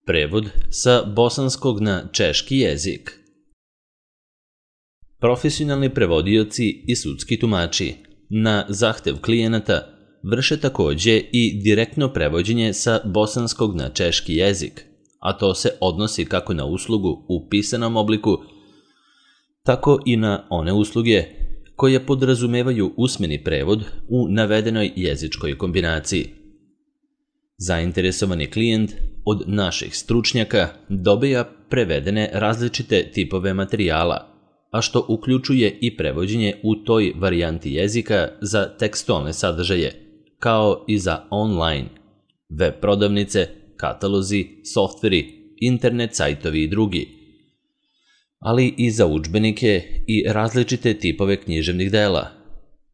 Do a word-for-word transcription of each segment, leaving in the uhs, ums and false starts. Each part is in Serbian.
Prevod sa bosanskog na češki jezik. Profesionalni prevodioci i sudski tumači na zahtev klijenata vrše takođe i direktno prevođenje sa bosanskog na češki jezik, a to se odnosi kako na uslugu u pisanom obliku, tako i na one usluge koje podrazumevaju usmeni prevod u navedenoj jezičkoj kombinaciji. Zainteresovani klijent od naših stručnjaka dobija prevedene različite tipove materijala, a što uključuje i prevođenje u toj varijanti jezika za tekstualne sadržaje, kao i za online, web prodavnice, katalozi, softveri, internet sajtovi i drugi, ali i za udžbenike i različite tipove književnih dela,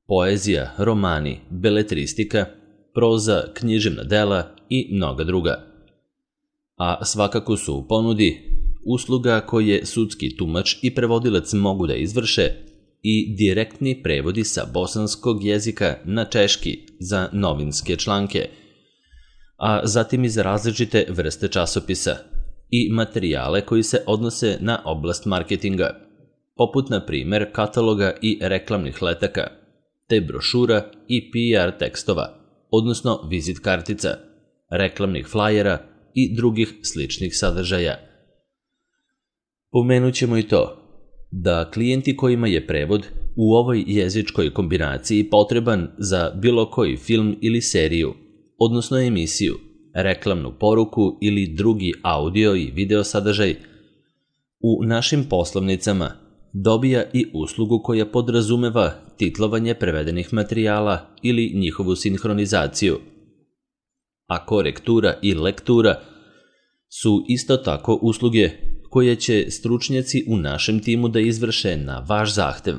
poezija, romani, beletristika, proza, književna dela i mnoga druga. A svakako su u ponudi usluga koje sudski tumač i prevodilac mogu da izvrše i direktni prevodi sa bosanskog jezika na češki za novinske članke, a zatim i za različite vrste časopisa i materijale koji se odnose na oblast marketinga, poput na primer kataloga i reklamnih letaka, te brošura i P R tekstova, odnosno vizit kartica, reklamnih flajera i drugih sličnih sadržaja. Pomenut ćemo i to da klijenti kojima je prevod u ovoj jezičkoj kombinaciji potreban za bilo koji film ili seriju, odnosno emisiju, reklamnu poruku ili drugi audio i video sadržaj, u našim poslovnicama dobija i uslugu koja podrazumeva titlovanje prevedenih materijala ili njihovu sinhronizaciju, a korektura i lektura su isto tako usluge koje će stručnjaci u našem timu da izvrše na vaš zahtev,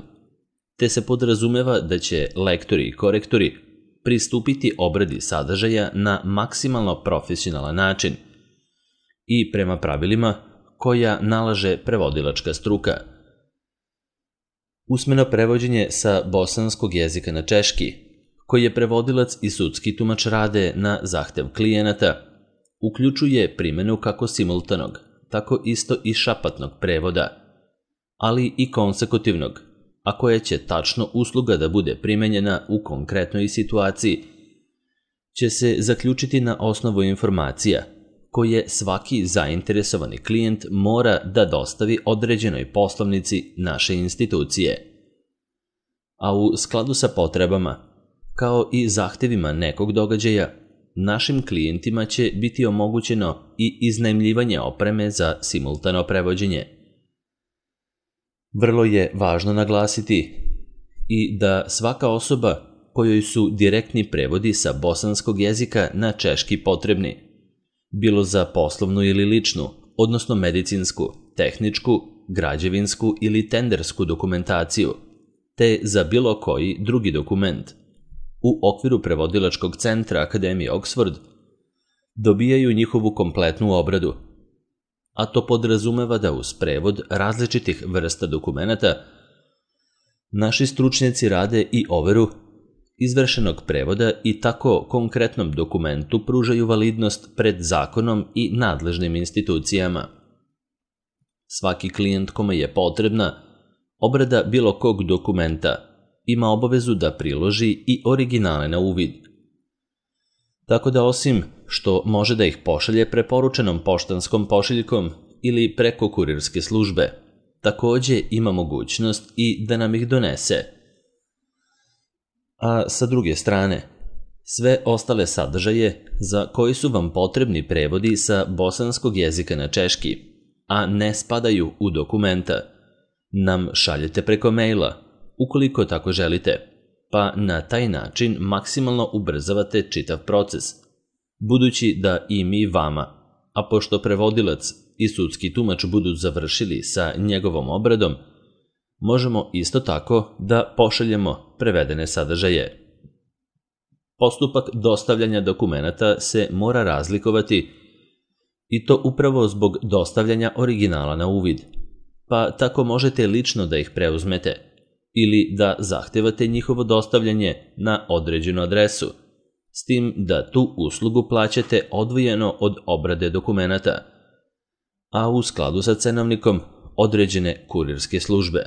te se podrazumeva da će lektori i korektori pristupiti obradi sadržaja na maksimalno profesionalan način i prema pravilima koja nalaže prevodilačka struka. Usmeno prevođenje sa bosanskog jezika na češki, koji je prevodilac i sudski tumač rade na zahtev klijenata, uključuje primjenu kako simultanog, tako isto i šapatnog prevoda, ali i konsekutivnog, a koja će tačno usluga da bude primenjena u konkretnoj situaciji, će se zaključiti na osnovu informacija koje svaki zainteresovani klijent mora da dostavi određenoj poslovnici naše institucije. A u skladu sa potrebama, kao i zahtevima nekog događaja, našim klijentima će biti omogućeno i iznajmljivanje opreme za simultano prevođenje. Vrlo je važno naglasiti i da svaka osoba kojoj su direktni prevodi sa bosanskog jezika na češki potrebni, bilo za poslovnu ili ličnu, odnosno medicinsku, tehničku, građevinsku ili tendersku dokumentaciju, te za bilo koji drugi dokument, u okviru prevodilačkog centra Akademije Oxford dobijaju njihovu kompletnu obradu, a to podrazumeva da uz prevod različitih vrsta dokumenata naši stručnjaci rade i overu izvršenog prevoda i tako konkretnom dokumentu pružaju validnost pred zakonom i nadležnim institucijama. Svaki klijent kome je potrebna obrada bilo kog dokumenta ima obavezu da priloži i originale na uvid. Tako da osim što može da ih pošalje preporučenom poštanskom pošiljkom ili preko kurirske službe, takođe ima mogućnost i da nam ih donese. A sa druge strane, sve ostale sadržaje za koji su vam potrebni prevodi sa bosanskog jezika na češki, a ne spadaju u dokumenta, nam šaljete preko maila, ukoliko tako želite, pa na taj način maksimalno ubrzavate čitav proces, budući da i mi vama, a pošto prevodilac i sudski tumač budu završili sa njegovom obradom, možemo isto tako da pošaljemo prevedene sadržaje. Postupak dostavljanja dokumenata se mora razlikovati i to upravo zbog dostavljanja originala na uvid, pa tako možete lično da ih preuzmete ili da zahtevate njihovo dostavljanje na određenu adresu, s tim da tu uslugu plaćate odvojeno od obrade dokumenata, a u skladu sa cenovnikom određene kurirske službe.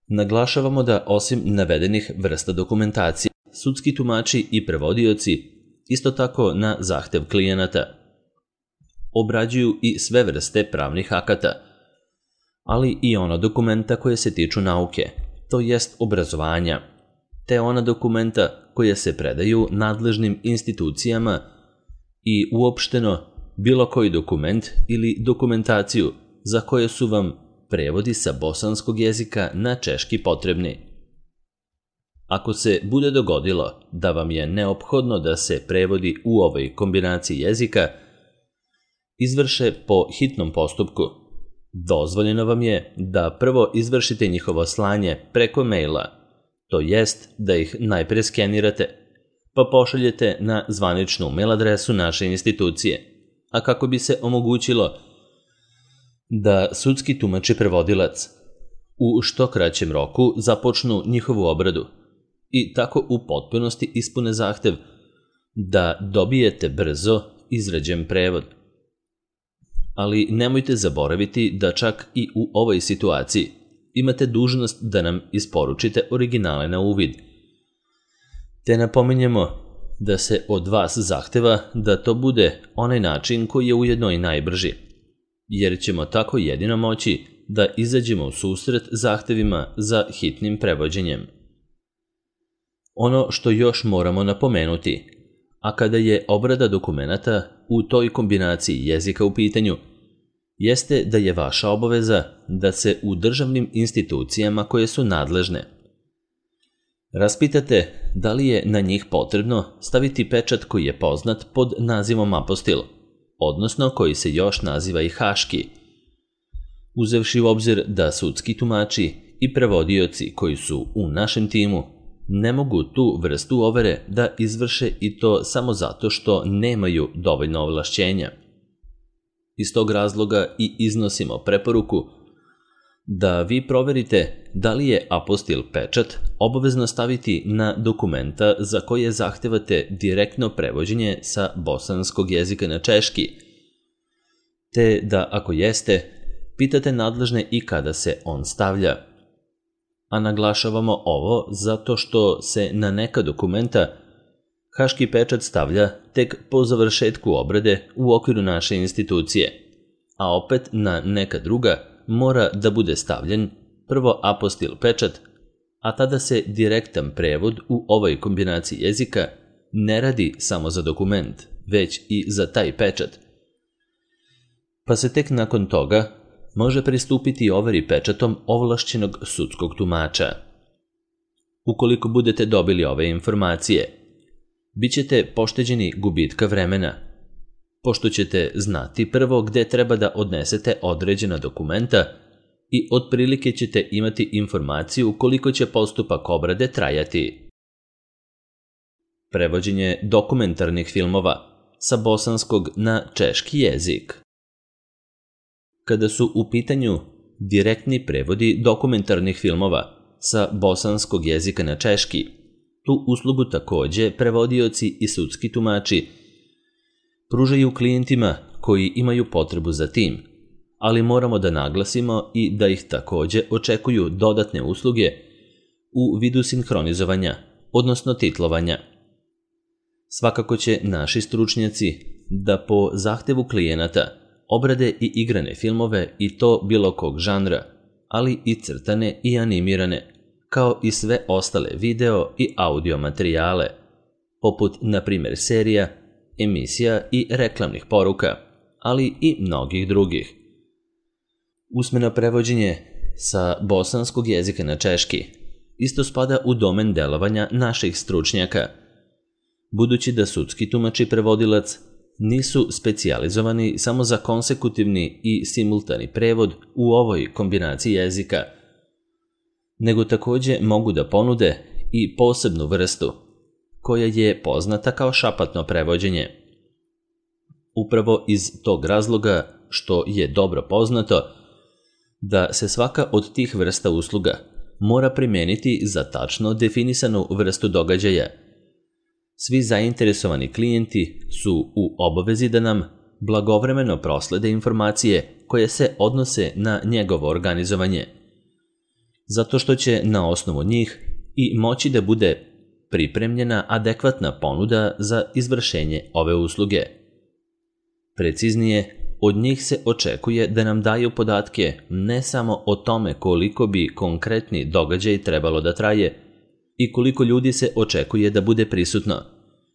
Naglašavamo da osim navedenih vrsta dokumentacije, sudski tumači i prevodioci isto tako na zahtev klijenata obrađuju i sve vrste pravnih akata, ali i ona dokumenta koje se tiču nauke, to jest obrazovanja, te ona dokumenta koja se predaju nadležnim institucijama i uopšteno bilo koji dokument ili dokumentaciju za koje su vam prevodi sa bosanskog jezika na češki potrebni. Ako se bude dogodilo da vam je neophodno da se prevodi u ovoj kombinaciji jezika izvrše po hitnom postupku, dozvoljeno vam je da prvo izvršite njihovo slanje preko maila, to jest da ih najpre skenirate, pa pošaljete na zvaničnu mail adresu naše institucije, a kako bi se omogućilo da sudski tumač i prevodilac u što kraćem roku započnu njihovu obradu i tako u potpunosti ispune zahtev da dobijete brzo izrađen prevod. Ali nemojte zaboraviti da čak i u ovoj situaciji imate dužnost da nam isporučite originale na uvid. Te napominjemo da se od vas zahteva da to bude onaj način koji je ujedno i najbrži, jer ćemo tako jedino moći da izađemo u susret zahtevima za hitnim prevođenjem. Ono što još moramo napomenuti, a kada je obrada dokumenata u toj kombinaciji jezika u pitanju, jeste da je vaša obaveza da se u državnim institucijama koje su nadležne raspitate da li je na njih potrebno staviti pečat koji je poznat pod nazivom apostil, odnosno koji se još naziva i haški, uzevši u obzir da sudski tumači i prevodioci koji su u našem timu ne mogu tu vrstu overe da izvrše i to samo zato što nemaju dovoljno ovlašćenja. Iz tog razloga i iznosimo preporuku da vi proverite da li je apostil pečat obavezno staviti na dokumenta za koje zahtevate direktno prevođenje sa bosanskog jezika na češki, te da ako jeste, pitate nadležne i kada se on stavlja. A naglašavamo ovo zato što se na neka dokumenta haški pečat stavlja tek po završetku obrade u okviru naše institucije, a opet na neka druga mora da bude stavljen prvo apostil pečat, a tada se direktan prevod u ovoj kombinaciji jezika ne radi samo za dokument, već i za taj pečat. Pa se tek nakon toga može pristupiti overi pečatom ovlašćenog sudskog tumača. Ukoliko budete dobili ove informacije, bit ćete pošteđeni gubitka vremena, pošto ćete znati prvo gde treba da odnesete određena dokumenta i otprilike ćete imati informaciju koliko će postupak obrade trajati. Prevođenje dokumentarnih filmova sa bosanskog na češki jezik. Kada su u pitanju direktni prevodi dokumentarnih filmova sa bosanskog jezika na češki, tu uslugu takođe prevodioci i sudski tumači pružaju klijentima koji imaju potrebu za tim, ali moramo da naglasimo i da ih takođe očekuju dodatne usluge u vidu sinhronizovanja, odnosno titlovanja. Svakako će naši stručnjaci da po zahtevu klijenata obrade i igrane filmove i to bilo kog žanra, ali i crtane i animirane, kao i sve ostale video i audio materijale, poput, na primjer, serija, emisija i reklamnih poruka, ali i mnogih drugih. Usmeno prevođenje sa bosanskog jezika na češki isto spada u domen delovanja naših stručnjaka, budući da sudski tumač i prevodilac nisu specijalizovani samo za konsekutivni i simultani prevod u ovoj kombinaciji jezika, nego takođe mogu da ponude i posebnu vrstu, koja je poznata kao šapatno prevođenje. Upravo iz tog razloga što je dobro poznato da se svaka od tih vrsta usluga mora primeniti za tačno definisanu vrstu događaja. Svi zainteresovani klijenti su u obavezi da nam blagovremeno proslede informacije koje se odnose na njegovo organizovanje, zato što će na osnovu njih i moći da bude pripremljena adekvatna ponuda za izvršenje ove usluge. Preciznije, od njih se očekuje da nam daju podatke ne samo o tome koliko bi konkretni događaj trebalo da traje i koliko ljudi se očekuje da bude prisutno,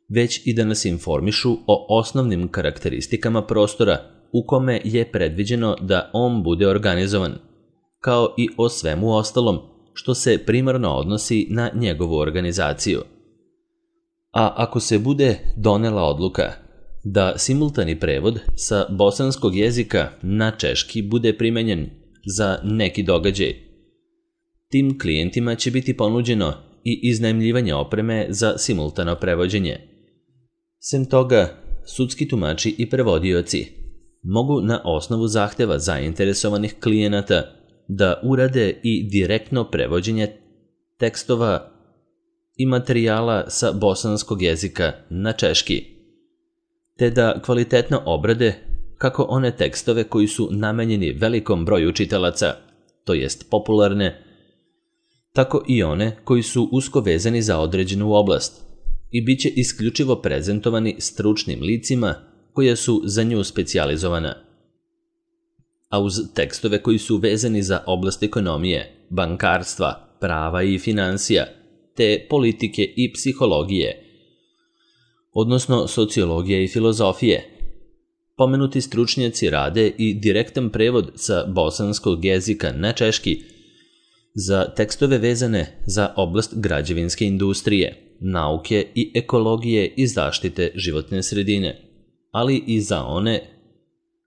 već i da nas informišu o osnovnim karakteristikama prostora u kome je predviđeno da on bude organizovan, kao i o svemu ostalom što se primarno odnosi na njegovu organizaciju. A ako se bude donela odluka da simultani prevod sa bosanskog jezika na češki bude primenjen za neki događaj, tim klijentima će biti ponuđeno i iznajmljivanje opreme za simultano prevođenje. Sem toga, sudski tumači i prevodioci mogu na osnovu zahteva zainteresovanih klijenata da urade i direktno prevođenje tekstova i materijala sa bosanskog jezika na češki, te da kvalitetno obrade kako one tekstove koji su namenjeni velikom broju čitalaca, to jest popularne, tako i one koji su usko vezani za određenu oblast i bit će isključivo prezentovani stručnim licima koje su za nju specijalizovana. A uz tekstove koji su vezani za oblast ekonomije, bankarstva, prava i finansija, te politike i psihologije, odnosno sociologije i filozofije, pomenuti stručnjaci rade i direktan prevod sa bosanskog jezika na češki za tekstove vezane za oblast građevinske industrije, nauke i ekologije i zaštite životne sredine, ali i za one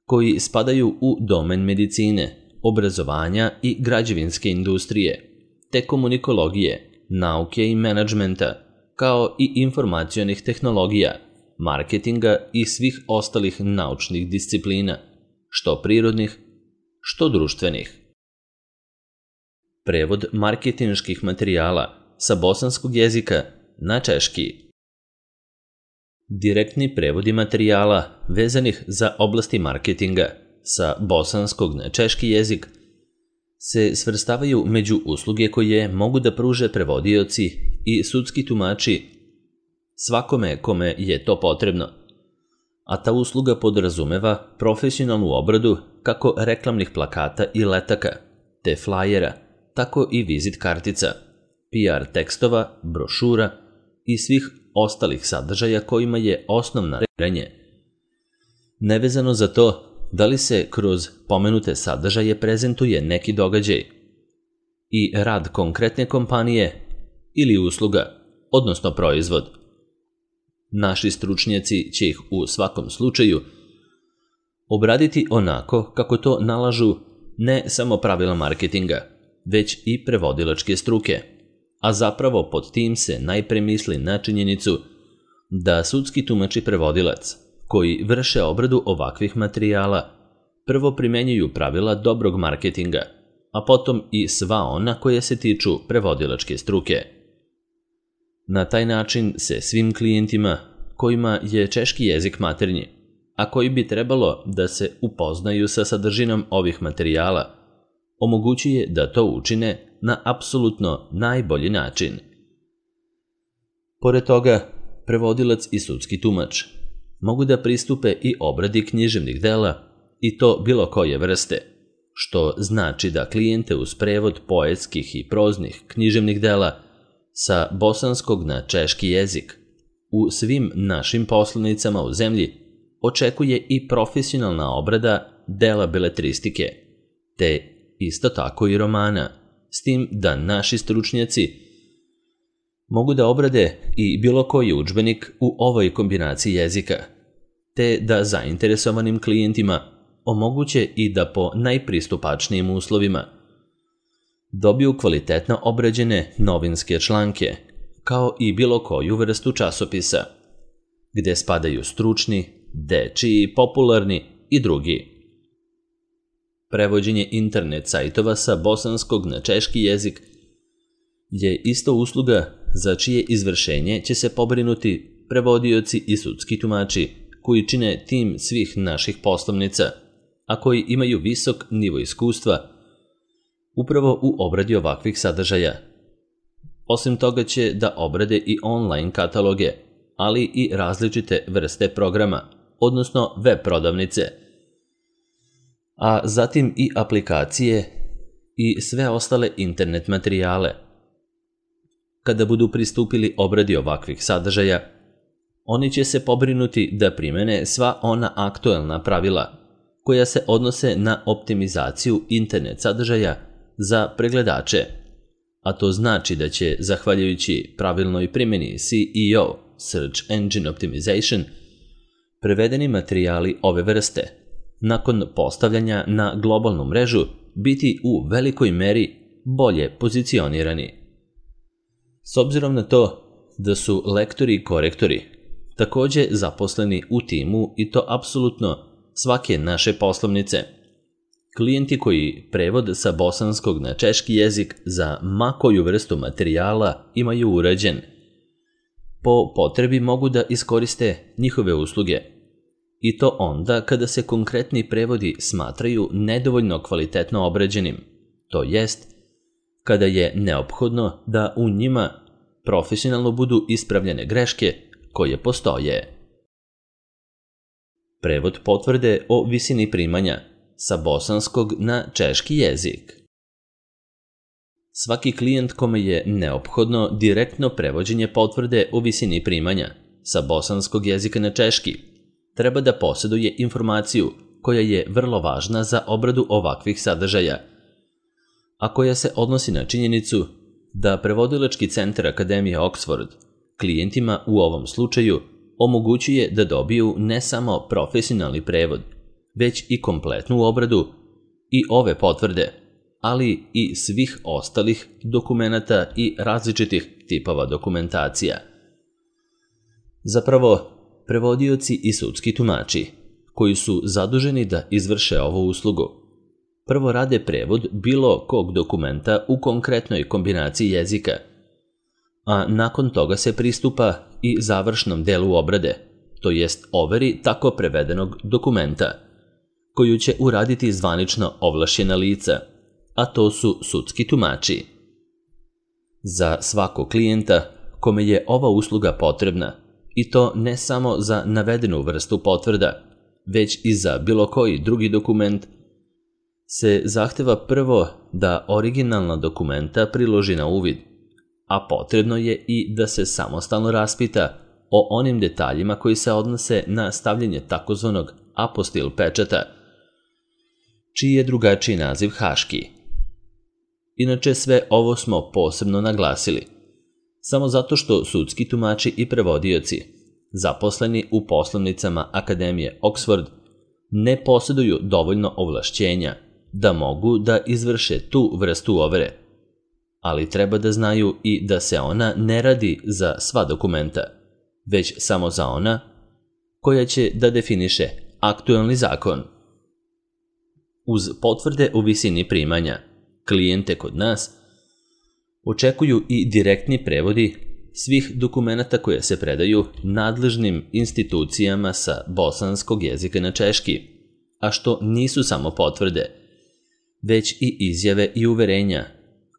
koji spadaju u domen medicine, obrazovanja i građevinske industrije, te komunikologije, nauke i menadžmenta, kao i informacionih tehnologija, marketinga i svih ostalih naučnih disciplina, što prirodnih, što društvenih. Prevod marketinških materijala sa bosanskog jezika na češki. Direktni prevodi materijala vezanih za oblasti marketinga sa bosanskog na češki jezik se svrstavaju među usluge koje mogu da pruže prevodioci i sudski tumači svakome kome je to potrebno, a ta usluga podrazumeva profesionalnu obradu kako reklamnih plakata i letaka, te flajera, tako i vizit kartica, P R tekstova, brošura i svih ostalih sadržaja kojima je osnovna referenje. Nevezano za to da li se kroz pomenute sadržaje prezentuje neki događaj i rad konkretne kompanije ili usluga, odnosno proizvod. Naši stručnjaci će ih u svakom slučaju obraditi onako kako to nalažu ne samo pravila marketinga, već i prevodilačke struke, a zapravo pod tim se najpre misli na činjenicu da sudski tumač i prevodilac koji vrše obradu ovakvih materijala prvo primenjuju pravila dobrog marketinga, a potom i sva ona koje se tiču prevodilačke struke. Na taj način se svim klijentima kojima je češki jezik maternji, a koji bi trebalo da se upoznaju sa sadržinom ovih materijala, omogućuje da to učine na apsolutno najbolji način. Pored toga, prevodilac i sudski tumač mogu da pristupe i obradi književnih dela i to bilo koje vrste, što znači da klijente uz prevod poetskih i proznih književnih dela sa bosanskog na češki jezik u svim našim poslovnicama u zemlji očekuje i profesionalna obrada dela beletristike, te isto tako i romana, s tim da naši stručnjaci mogu da obrade i bilo koji udžbenik u ovoj kombinaciji jezika, te da zainteresovanim klijentima omoguće i da po najpristupačnijim uslovima dobiju kvalitetno obrađene novinske članke, kao i bilo koju vrstu časopisa, gde spadaju stručni, dečiji, popularni i drugi. Prevođenje internet sajtova sa bosanskog na češki jezik je isto usluga za čije izvršenje će se pobrinuti prevodioci i sudski tumači koji čine tim svih naših poslovnica, a koji imaju visok nivo iskustva upravo u obradi ovakvih sadržaja. Osim toga će da obrade i online kataloge, ali i različite vrste programa, odnosno web prodavnice, a zatim i aplikacije i sve ostale internet materijale. Kada budu pristupili obradi ovakvih sadržaja, oni će se pobrinuti da primene sva ona aktuelna pravila koja se odnose na optimizaciju internet sadržaja za pregledače, a to znači da će, zahvaljujući pravilnoj primjeni C E O, Search Engine Optimization, prevedeni materijali ove vrste, nakon postavljanja na globalnu mrežu, biti u velikoj meri bolje pozicionirani. S obzirom na to da su lektori i korektori također zaposleni u timu i to apsolutno svake naše poslovnice, klijenti koji prevod sa bosanskog na češki jezik za ma koju vrstu materijala imaju urađen, po potrebi mogu da iskoriste njihove usluge. I to onda kada se konkretni prevodi smatraju nedovoljno kvalitetno obrađenim, to jest kada je neophodno da u njima profesionalno budu ispravljene greške koje postoje. Prevod potvrde o visini primanja sa bosanskog na češki jezik. Svaki klijent kome je neophodno direktno prevođenje potvrde o visini primanja sa bosanskog jezika na češki treba da posjeduje informaciju koja je vrlo važna za obradu ovakvih sadržaja, a koja se odnosi na činjenicu da prevodilački centar Akademije Oxford klijentima u ovom slučaju omogućuje da dobiju ne samo profesionalni prevod, već i kompletnu obradu i ove potvrde, ali i svih ostalih dokumenata i različitih tipova dokumentacija. Zapravo, prevodioci i sudski tumači, koji su zaduženi da izvrše ovu uslugu, prvo rade prevod bilo kog dokumenta u konkretnoj kombinaciji jezika, a nakon toga se pristupa i završnom delu obrade, to jest overi tako prevedenog dokumenta, koju će uraditi zvanično ovlašćena lica, a to su sudski tumači. Za svakog klijenta kome je ova usluga potrebna, i to ne samo za navedenu vrstu potvrda, već i za bilo koji drugi dokument, se zahteva prvo da originalna dokumenta priloži na uvid, a potrebno je i da se samostalno raspita o onim detaljima koji se odnose na stavljanje takozvanog apostil pečata, čiji je drugačiji naziv haški. Inače, sve ovo smo posebno naglasili, samo zato što sudski tumači i prevodioci, zaposleni u poslovnicama Akademije Oxford, ne posjeduju dovoljno ovlašćenja da mogu da izvrše tu vrstu overe, ali treba da znaju i da se ona ne radi za sva dokumenta, već samo za ona koja će da definiše aktuelni zakon. Uz potvrde o visini primanja, klijente kod nas očekuju i direktni prevodi svih dokumenata koje se predaju nadležnim institucijama sa bosanskog jezika na češki, a što nisu samo potvrde, već i izjave i uverenja,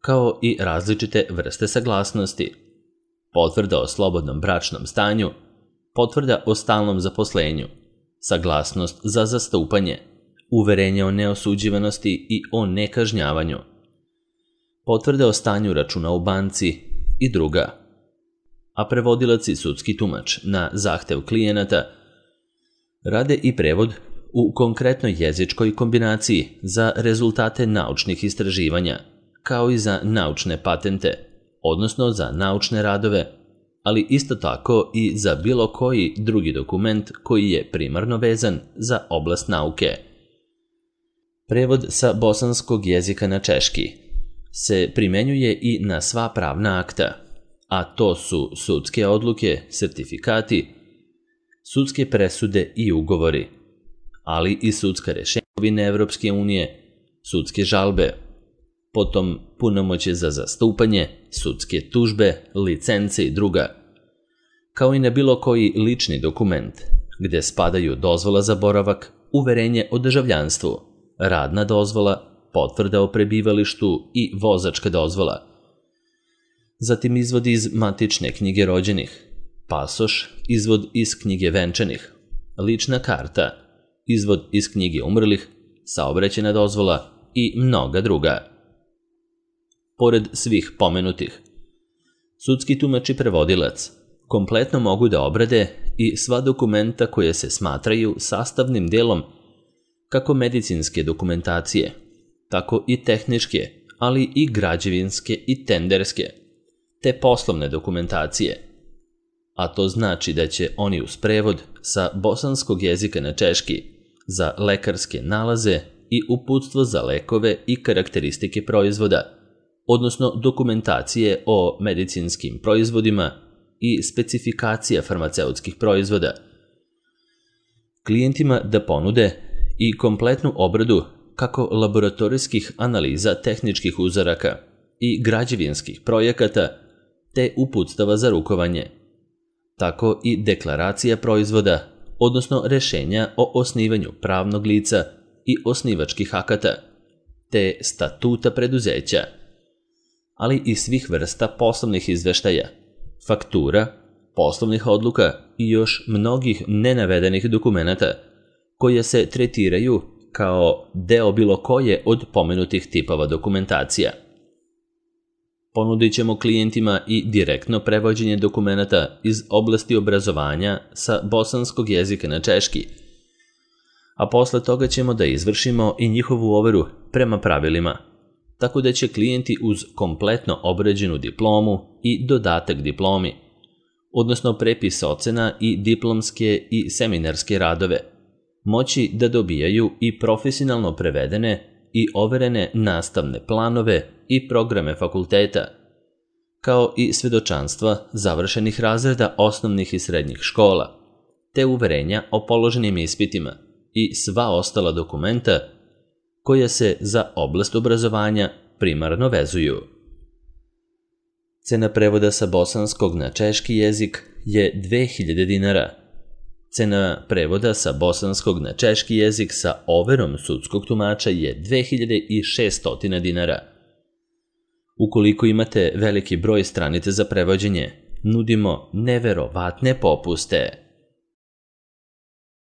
kao i različite vrste saglasnosti, potvrda o slobodnom bračnom stanju, potvrda o stalnom zaposlenju, saglasnost za zastupanje, uverenje o neosuđivanosti i o nekažnjavanju, potvrde o stanju računa u banci i druga. A prevodilac i sudski tumač na zahtev klijenata rade i prevod u konkretnoj jezičkoj kombinaciji za rezultate naučnih istraživanja, kao i za naučne patente, odnosno za naučne radove, ali isto tako i za bilo koji drugi dokument koji je primarno vezan za oblast nauke. Prevod sa bosanskog jezika na češki se primenjuje i na sva pravna akta, a to su sudske odluke, sertifikati, sudske presude i ugovori, ali i sudska rješenja Evropske unije, sudske žalbe, potom punomoćje za zastupanje, sudske tužbe, licence i druga, kao i na bilo koji lični dokument, gde spadaju dozvola za boravak, uverenje o državljanstvu, radna dozvola, potvrda o prebivalištu i vozačka dozvola. Zatim izvod iz matične knjige rođenih, pasoš, izvod iz knjige venčanih, lična karta, izvod iz knjige umrlih, saobraćajna dozvola i mnoga druga. Pored svih pomenutih, sudski tumač i prevodilac kompletno mogu da obrade i sva dokumenta koje se smatraju sastavnim delom kako medicinske dokumentacije, tako i tehničke, ali i građevinske i tenderske, te poslovne dokumentacije. A to znači da će oni uz prevod sa bosanskog jezika na češki za lekarske nalaze i uputstvo za lekove i karakteristike proizvoda, odnosno dokumentacije o medicinskim proizvodima i specifikacija farmaceutskih proizvoda, klijentima da ponude i kompletnu obradu kako laboratorijskih analiza tehničkih uzoraka i građevinskih projekata te uputstava za rukovanje, tako i deklaracija proizvoda, odnosno rešenja o osnivanju pravnog lica i osnivačkih akata, te statuta preduzeća, ali i svih vrsta poslovnih izveštaja, faktura, poslovnih odluka i još mnogih nenavedenih dokumenata koje se tretiraju kao deo bilo koje od pomenutih tipova dokumentacija. Ponudit ćemo klijentima i direktno prevođenje dokumenata iz oblasti obrazovanja sa bosanskog jezika na češki, a posle toga ćemo da izvršimo i njihovu overu prema pravilima, tako da će klijenti uz kompletno obrađenu diplomu i dodatak diplomi, odnosno prepis ocena i diplomske i seminarske radove, moći da dobijaju i profesionalno prevedene i overene nastavne planove i programe fakulteta, kao i svedočanstva završenih razreda osnovnih i srednjih škola, te uverenja o položenim ispitima i sva ostala dokumenta koja se za oblast obrazovanja primarno vezuju. Cena prevoda sa bosanskog na češki jezik je dve hiljade dinara. Cena prevoda sa bosanskog na češki jezik sa overom sudskog tumača je dve hiljade šesto dinara. Ukoliko imate veliki broj stranica za prevođenje, nudimo neverovatne popuste.